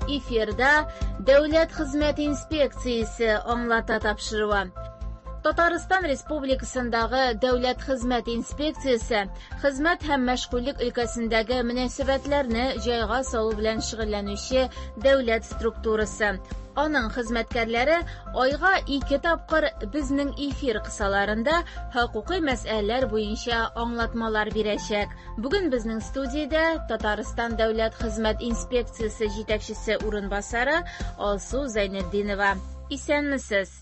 Эфирда Дәүләт хезмәт инспекциясе аңлата тапшыруы. Татарстан Республикасындагы Дәүләт хезмәт инспекциясе хезмәт һәм мәшгульлек өлкәсендәге мөнәсәбәтләрне җайга салу белән шөгыльләнүче дәүләт структурасы. Аның хезмәткәрләре айга ике тапкыр безнең эфир кысаларында хокукый мәсьәләләр буенча аңлатмалар бирәчәк. Бүген безнең студиядә Татарстан Дәүләт хезмәт инспекциясе җитәкчесе урынбасары Алсу Зәйнетдинова. Исәнмесез!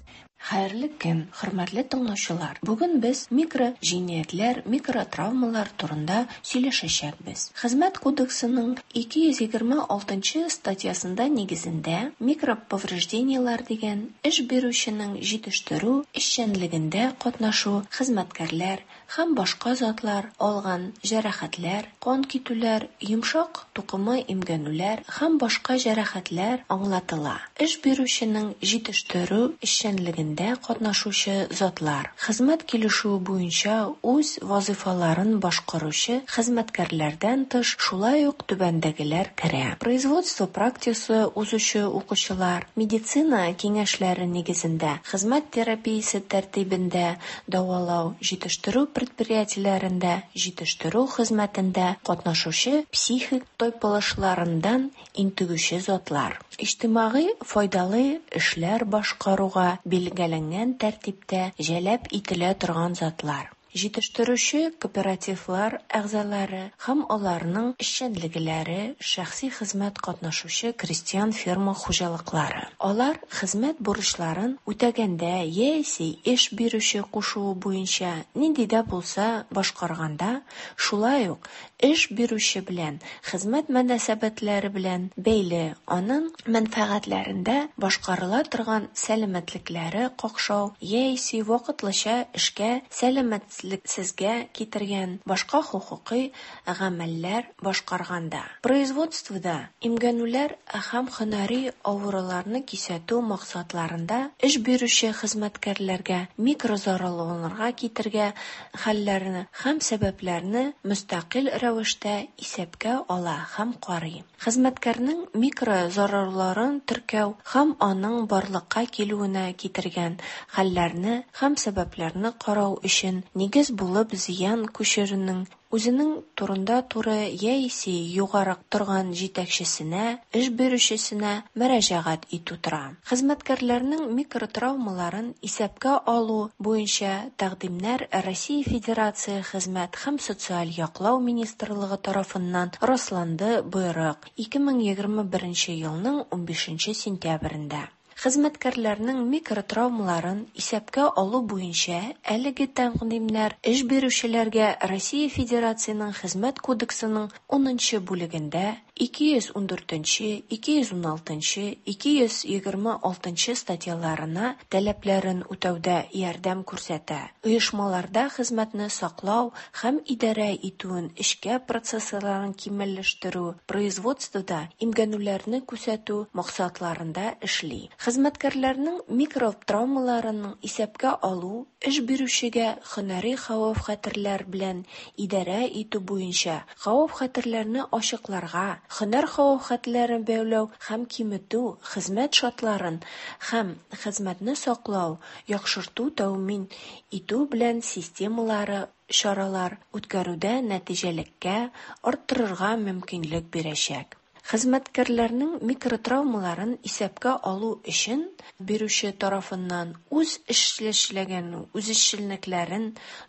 Хәерле көн, хөрмәтле тыңлаучылар! Бүген без микро җинаятьләр, микротравмалар турында сөйләшәчәкбез. Хезмәт кодексының 226 нчы статьясында нигезендә микроповреждениеләр дигән эш бирүченең җитештерү эшчәнлегендә катнашу хезмәткәрләр һәм башка затлар алган җәрәхәтләр, кан китүләр, йомшак тукыма имгәнүләр һәм башка җәрәхәтләр аңлатыла. Эш бирүченең җитештерү эшчәнлегендә катнашучы затлар, хезмәт килешүе буенча үз вазыйфаларын башкаручы хезмәткәрләрдән тыш, шулай ук түбәндәгеләр керә, производство практикасы узучы укучылар, медицина киңәшләре нигезендә хезмәт терапиясе тәртибендә дәвалау, җитештерү предприятиеләрендә җитештерү хезмәтендә катнашучы психик тайпылышларыннан интегүче затлар, иҗтимагый файдалы эшләр башкаруга билгеләнгән тәртиптә җәлеп ителә торган затлар, җитештерүче кооперативлар әгъзалары һәм аларның эшчәнлекләре, шәхси хезмәт катнашучы крестьян-фермер хуҗалыклары. Алар хезмәт бурычларын үтәгәндә яисә эш бирүче кушуы буенча нинди дә булса башкарганда, шулай ук эш бирүче белән хезмәт мөнәсәбәтләре белән бәйле аның мәнфәгатьләрендә башкарыла торган сәламәтлекләре какшау яисә вакытлыча эшкә сәламәтлексезгә китергән башка хокукый гамәлләр башкарганда. Производствода имгәнүләр һәм һөнәри авыруларны кисәтү максатларында эш бирүче хезмәткәрләргә микрозарарлануларга китергә хәлләрне һәм сәбәпләрне мөстәкыйль рәвештә исәпкә ала һәм карый. Хезмәткәрнең микрозарарларын теркәү һәм аның барлыкка килүенә китергән хәлләрне һәм сәбәпләрне карау өчен нигез булып зыян күрүченең үзенең турыдан-туры яисә югарырак торган җитәкчесенә, эш бирүчесенә мөрәҗәгать итү тора. Хезмәткәрләрнең микротравмаларын исәпкә алу буенча тәкъдимнәр Россия Федерация Хезмәт һәм социаль яклау министрлыгы тарафыннан расланды боерык 2021 елның 15 сентябрендә. Хезмәткәрләрнең микротравмаларын исәпкә алу буенча әлеге тәкъдимнәр эш бирүчеләргә Россия Федерациясенең Хезмәт кодексының 10 нчы бүлегендә 214, 216, 226 статьяларына таләпләрен үтәүдә ярдәм күрсәтә, оешмаларда хезмәтне саклау һәм идарә итүен эшкә процессларын камилләштерү, производствода имгәнүләрне кисәтү максатларында эшли. Хезмәткәрләрнең микротравмаларын исәпкә алу эш бирүчегә һөнәри хәвеф-хәтерләр белән идарә итү буенча хәвеф-хәтерләрне ачыкларга, һөнәр хәвеф-хәтерләрен бәяләү һәм киметү, хезмәт шартларын һәм хезмәтне саклау яхшырту тәэмин итү белән системалы чаралар үткәрүдә нәтиҗәлелекне арттырырга мөмкинлек бирәчәк. Хезмәткәрләрнең микротравмаларын исәпкә алу өчен бирүче тарафыннан үз эшчәнлеген, үзешчәнлекләрен,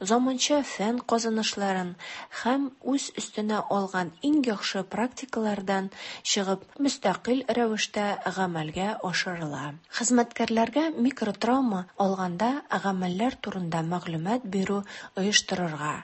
заманча фән казанышларын һәм үз өстенә алган иң яхшы практикалардан чыгып мөстәкыйль рәвештә гамәлгә ашырыла. Хезмәткәрләргә микротравма алганда гамәлләр турында мәгълүмат бирү оештырырга,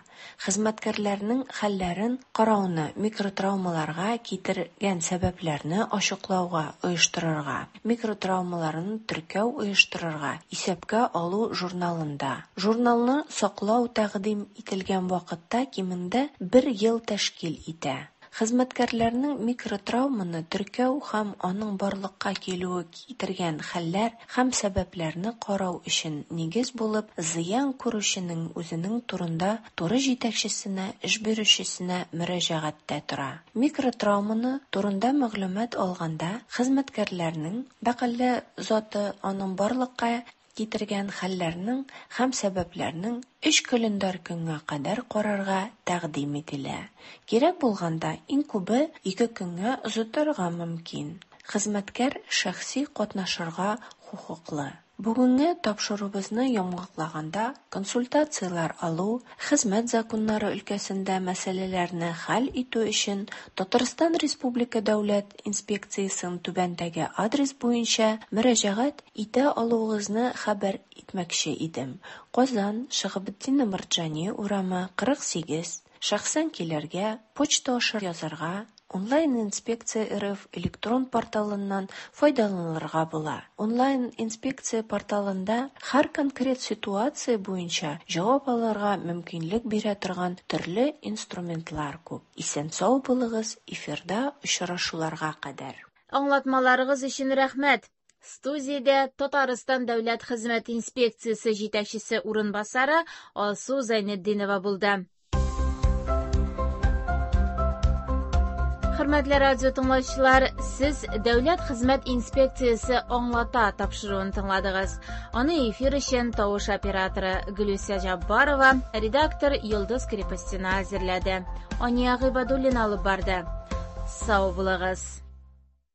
хезмәткәрләрнең хәлләрен карауны микротравмаларга китергән сәбәпләрне ачыклауга оештырырга, микротравмаларны теркәү оештырырга, исәпкә алу журналында. Журналны саклау тәкъдим ителгән вакытта кимендә бер ел тәшкил итә. Хезмәткәрләрнең микротравманы теркәү һәм аның барлыкка килүе китергән хәлләр һәм сәбәпләрне карау өчен нигез булып зыян күрүченең үзенең турыдан-туры җитәкчесенә, эш бирүчесенә мөрәҗәгате тора. Микротравманы турында мәгълүмат алганда хезмәткәрнең вәкаләтле заты аны барлыкка китергән хәлләрнең һәм сәбәпләрнең өч календарь көнгә кадәр карарга тәкъдим ителә. Кирәк булганда, иң күбе 2 көнгә озайтырга мөмкин. Хезмәткәр шәхси катнашырга хокуклы. Бүгенге тапшыруыбызны йомгаклаганда, консультацияләр алу, хезмәт законнары өлкәсендә мәсьәләләрне хәл итү өчен Татарстан Республика Дәүләт инспекциясенә түбәндәге адрес буенча мөрәҗәгать итә алуыгызны хәбәр итмәкче идем: Казан, Шиһабетдин Мәрҗани урамы, 48, шәхсән килергә, почта аша язарга, Онлайн-инспекция.РФ электрон порталыннан файдаланырга була. Онлайн-инспекция порталында һәр конкрет ситуация буенча җавап алырга мөмкинлек бирә торган төрле инструментлар күп. Исән-сау булыгыз, эфирда очрашуларга кадәр! Аңлатмаларыгыз өчен рәхмәт. Студиядә Татарстан Дәүләт хезмәт инспекциясе җитәкчесе урынбасары Алсу Зәйнетдинова булды. Хөрмәтле радио тыңлаучылар, сез Дәүләт хезмәт инспекциясе аңлата тапшыруын тыңладыгыз. Аны эфир өчен тавыш операторы Гөлүсә Җаббарова, редактор Йолдыз Крепостина әзерләде. Ания Гыйбадуллина алып барды. Сау булыгыз.